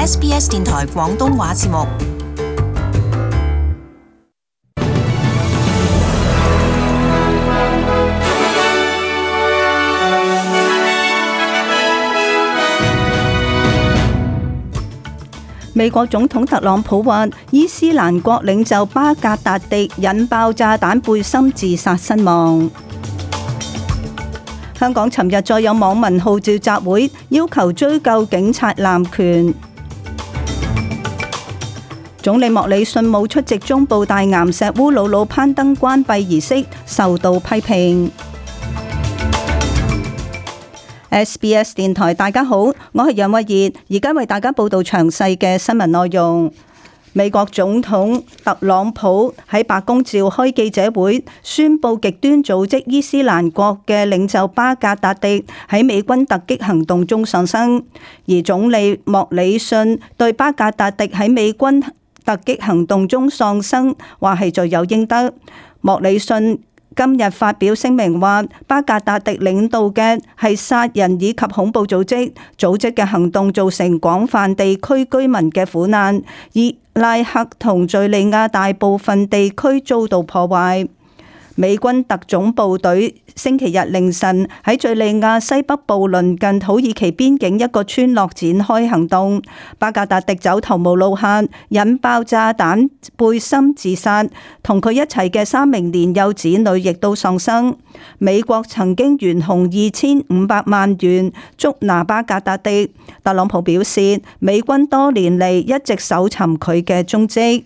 SBS 電台廣東話節目。美國總統特朗普話，伊斯蘭國領袖巴格達迪引爆炸彈背心自殺身亡。香港尋日再有網民號召集會，要求追究警察濫權。總理莫里遜冇出席中部大岩石烏魯魯攀登關閉儀式，受到批評。SBS 電台，大家好，我係楊慧儀，而家為大家報道詳細嘅新聞內容。美國總統特朗普喺白宮召開記者會，宣布極端組織伊斯蘭國嘅領袖巴格達迪喺美軍突擊行動中喪生，而總理莫里遜對巴格達迪喺美軍突擊行動中喪生話係罪有應得。莫里遜今日發表聲明話，巴格達迪領導嘅係殺人以及恐怖組織嘅行動造成廣泛地區居民嘅苦難，伊拉克同敘利亞大部分地區遭到破壞。美軍特種部隊星期日凌晨喺敘利亞西北部鄰近土耳其邊境一個村落展開行動，巴格達迪走投無路下引爆炸彈背心自殺，同佢一齊嘅3名年幼子女亦都喪生。美國曾經懸紅2500萬元捉拿巴格達迪，特朗普表示美軍多年嚟一直搜尋佢嘅蹤跡。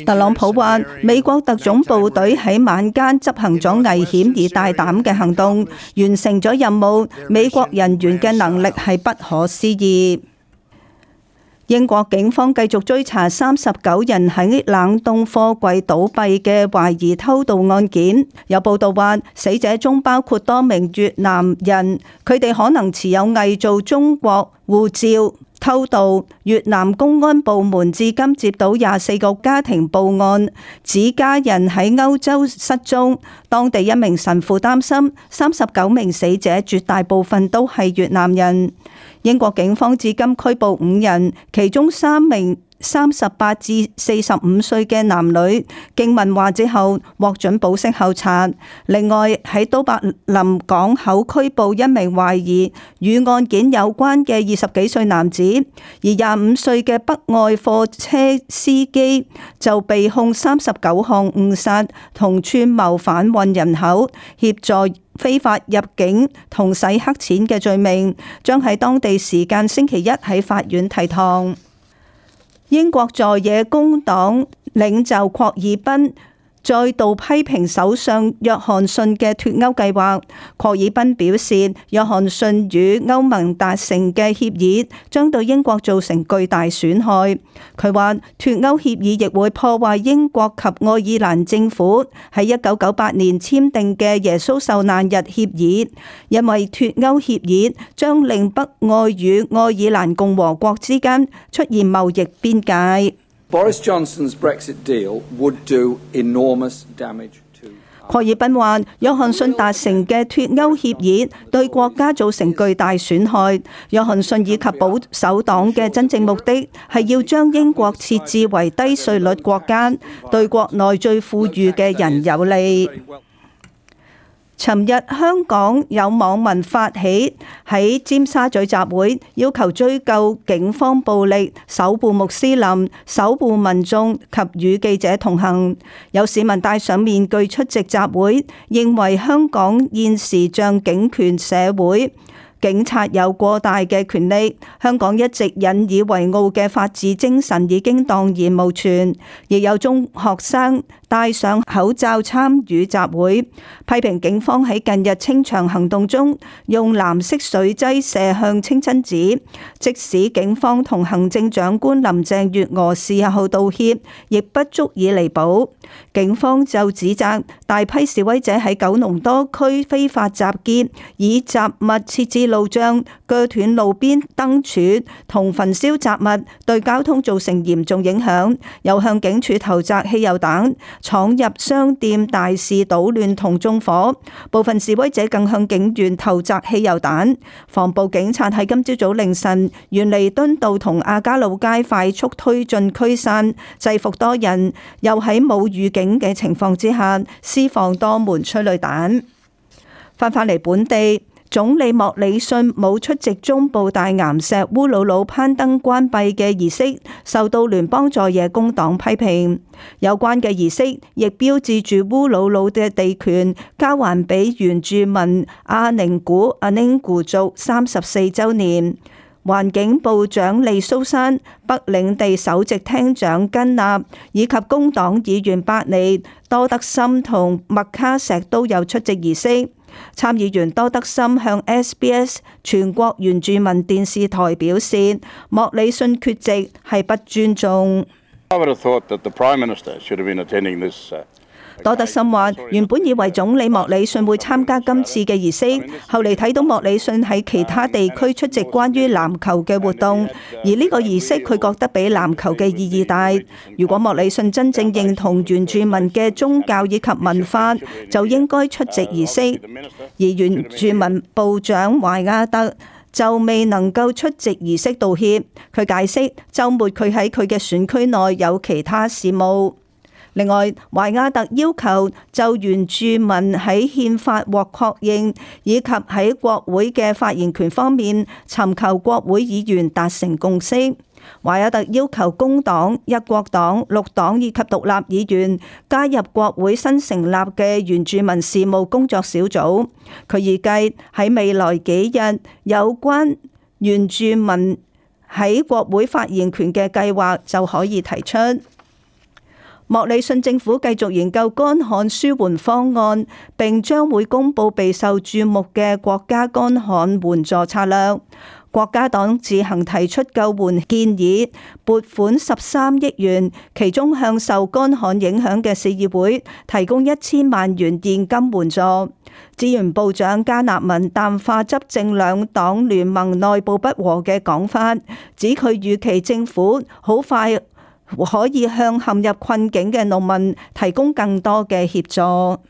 特朗普話，美國特種部隊喺晚間執行咗危險而大膽嘅行動，完成咗任務。美國人員嘅能力係不可思議。英國警方繼續追查39人喺冷凍貨櫃倒閉嘅懷疑偷渡案件。有報道話，死者中包括多名越南人，佢哋可能持有偽造中國護照。偷渡，越南公安部門至今接到24個家庭報案，指家人喺歐洲失蹤。當地一名神父擔心39名死者絕大部分都係越南人。英國警方至今拘捕5人，其中3名38至45歲嘅男女經問話之後獲准保釋候查。另外喺都柏林港口拘捕一名懷疑與案件有關嘅20幾歲男子，而25歲嘅北愛貨車司機就被控39項誤殺同串謀販運人口、協助非法入境同洗黑錢嘅罪名，將喺當地時間星期一喺法院提堂。英國在野工黨領袖郝爾彬再度批評首相約翰遜嘅脫歐計劃。郝爾彬表示，約翰遜與歐盟達成嘅協議將對英國造成巨大損害。佢話脫歐協議亦會破壞英國及愛爾蘭政府喺1998年簽訂嘅耶穌受難日協議，因為脫歐協議將令北愛與愛爾蘭共和國之間出現貿易邊界。Boris Johnson's Brexit deal would do enormous damage to。郝爾彬話：約翰遜達成嘅脫歐協議對國家造成巨大損害。約翰遜以及保守黨嘅真正目的係要將英國設置為低稅率國家，對國內最富裕嘅人有利。尋日香港有網民發起喺尖沙咀集會，要求追究警方暴力，守護穆斯林、守護民眾及與記者同行。有市民戴上面具出席集會，認為香港現時像警權社會，警察有過大嘅權力，香港一直引以為傲嘅法治精神已經蕩然無存。亦有中學生戴上口罩參與集會，批評警方喺近日清場行動中用藍色水劑射向清真寺，即使警方同行政長官林鄭月娥事後道歉，亦不足以彌補。警方就指責大批示威者喺九龍多區非法集結，以雜物設置路障，鋸斷路邊燈柱同焚燒雜物，對交通造成嚴重影響，又向警署投擲汽油彈，闖入商店大肆搗亂同縱火。部分示威者更向警員投擲汽油彈。防暴警察喺今朝早凌晨沿彌敦道同亞加路街快速推進驅散，制服多人，又喺冇預警嘅情況之下施放多門催淚彈。翻返嚟本地，總理莫里遜冇出席中部大岩石烏魯魯攀登關閉嘅儀式，受到聯邦在野工黨批評。有關嘅儀式亦標誌住烏魯魯嘅地權交還俾原住民阿寧古族34週年。環境部長利蘇珊、北領地首席廳長根納以及工黨議員伯尼、多德森同麥卡錫都有出席儀式。參議員多德森向 SBS 全國原住民電視台表示，莫里遜缺席係不尊重。多德森話：原本以為總理莫里遜會參加今次嘅儀式，後嚟睇到莫里遜喺其他地區出席關於籃球嘅活動，而呢個儀式佢覺得比籃球嘅意義大。如果莫里遜真正認同原住民嘅宗教以及文化，就應該出席儀式。而原住民部長懷亞特就未能夠出席儀式道歉。佢解釋週末佢喺佢嘅選區內有其他事務。另外，懷亞特要求就原住民喺憲法獲確認以及喺國會嘅發言權方面尋求國會議員達成共識。懷亞特要求工黨、一國黨、綠黨以及獨立議員加入國會新成立嘅原住民事務工作小組。佢預計喺未來幾日有關原住民喺國會發言權嘅計劃就可以提出。莫里遜政府繼續研究乾旱舒緩方案，並將會公布備受注目嘅國家乾旱援助策略。國家黨自行提出救援建議，撥款13億元，其中向受乾旱影響嘅市議會提供1000萬元現金援助。資源部長加納文淡化執政兩黨聯盟內部不和嘅講法，指佢預期政府好快可以向陷入困境嘅農民提供更多嘅協助。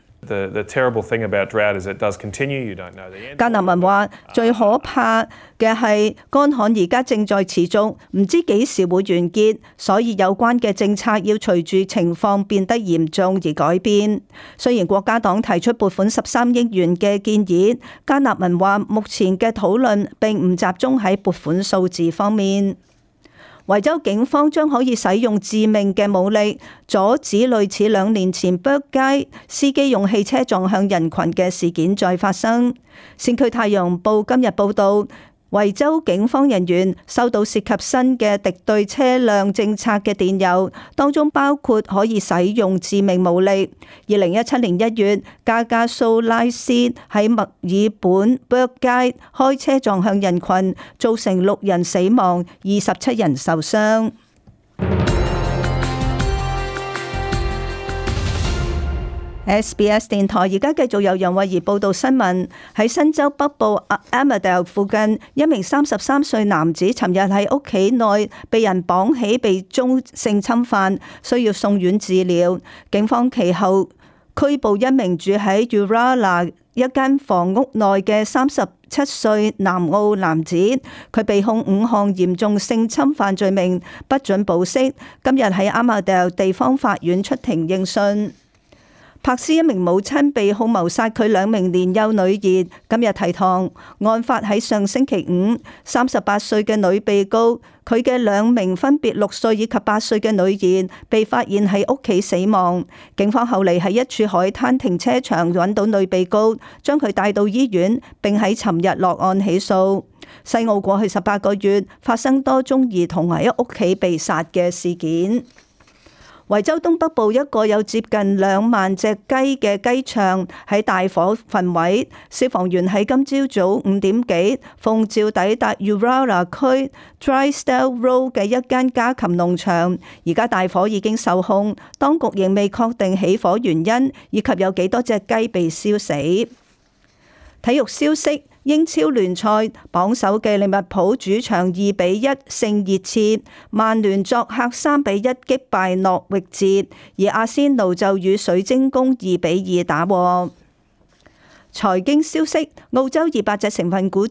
加納文話：最可怕嘅係乾旱而家正在持續，唔知幾時會完結，所以有關嘅政策要隨住情況變得嚴重而改變。雖然國家黨提出撥款13億元嘅建議，加納文話目前嘅討論並唔集中喺撥款數字方面。維州警方將可以使用致命嘅武力，阻止類似2年前 Burke 街司機用汽車撞向人群嘅事件再發生。先驅太陽報今日報道，維州警方人員收到涉及新嘅敵對車輛政策嘅電郵，當中包括可以使用致命武力。2017年1月，加加蘇拉斯喺墨爾本 Burke 街開車撞向人群，造成6人死亡、27人受傷。SBS 電台而家繼續由楊慧儀報道新聞。喺新州北部 Armidale 附近，一名33歲男子尋日喺屋企內被人綁起，被遭性侵犯，需要送院治療。警方其後拘捕一名住喺 Uralla 一間房屋內嘅37歲南澳男子，佢被控5項嚴重性侵犯罪名，不准保釋。今日喺 Armidale 地方法院出庭應訊。柏斯一名母親被控謀殺佢2名年幼女兒，今日提堂。案發喺上星期五，38歲嘅女被告，佢嘅2名分別6歲以及8歲嘅女兒被發現喺屋企死亡。警方後嚟喺一處海灘停車場揾到女被告，將佢帶到醫院，並喺尋日落案起訴。西澳過去18個月發生多宗兒童喺屋企被殺嘅事件。維州東北部一個有接近2萬隻雞嘅雞場喺大火焚毀，消防員喺今朝早5點幾奉召抵達 Uralla 區 Drysdale Road 嘅一間家禽農場，而家大火已經受控，當局仍未確定起火原因以及有幾多隻雞被燒死。體育消息。英超聯賽榜首嘅利物浦主場2-1勝熱刺，曼聯作客3-1擊敗諾域治，而阿仙奴就與水晶宮2-2打和。財經消息，澳洲200隻成分股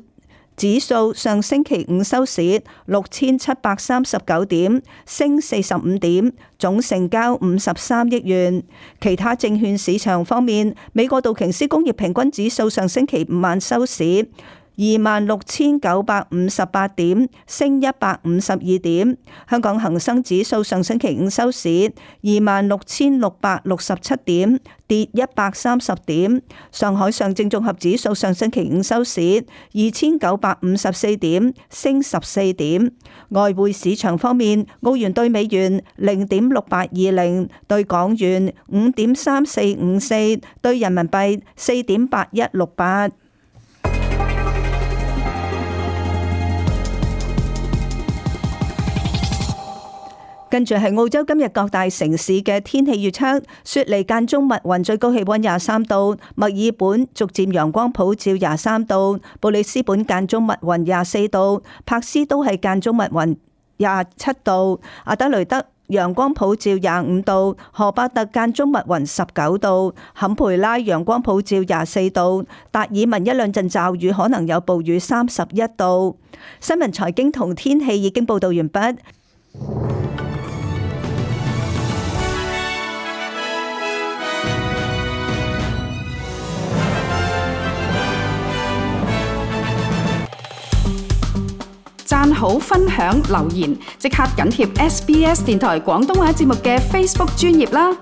指數上星期五收市6739點，升45點，總成交53億元。其他證券市場方面，美國道瓊斯工業平均指數上星期五晚收市26,958點，升152點。香港恒生指數上星期五收市26,667點，跌130點。上海上證綜合指數上星期五收市2,954點，升14點。外匯市場方面，澳元兌美元0.6820，兌港元5.3454，兌人民幣4.8168。跟住係澳洲今日各大城市嘅天氣預測：雪梨間中密雲，最高氣溫23度；墨爾本逐漸陽光普照23度；布里斯本間中密雲24度；柏斯都係間中密雲27度；阿德雷德陽光普照25度；荷伯特間中密雲19度；坎培拉陽光普照24度；達爾文一兩陣驟雨，可能有暴雨31度。新聞財經同天氣已經報道完畢。讚好、分享、留言，即刻緊貼SBS 電台廣東話節目嘅 Facebook 專頁啦！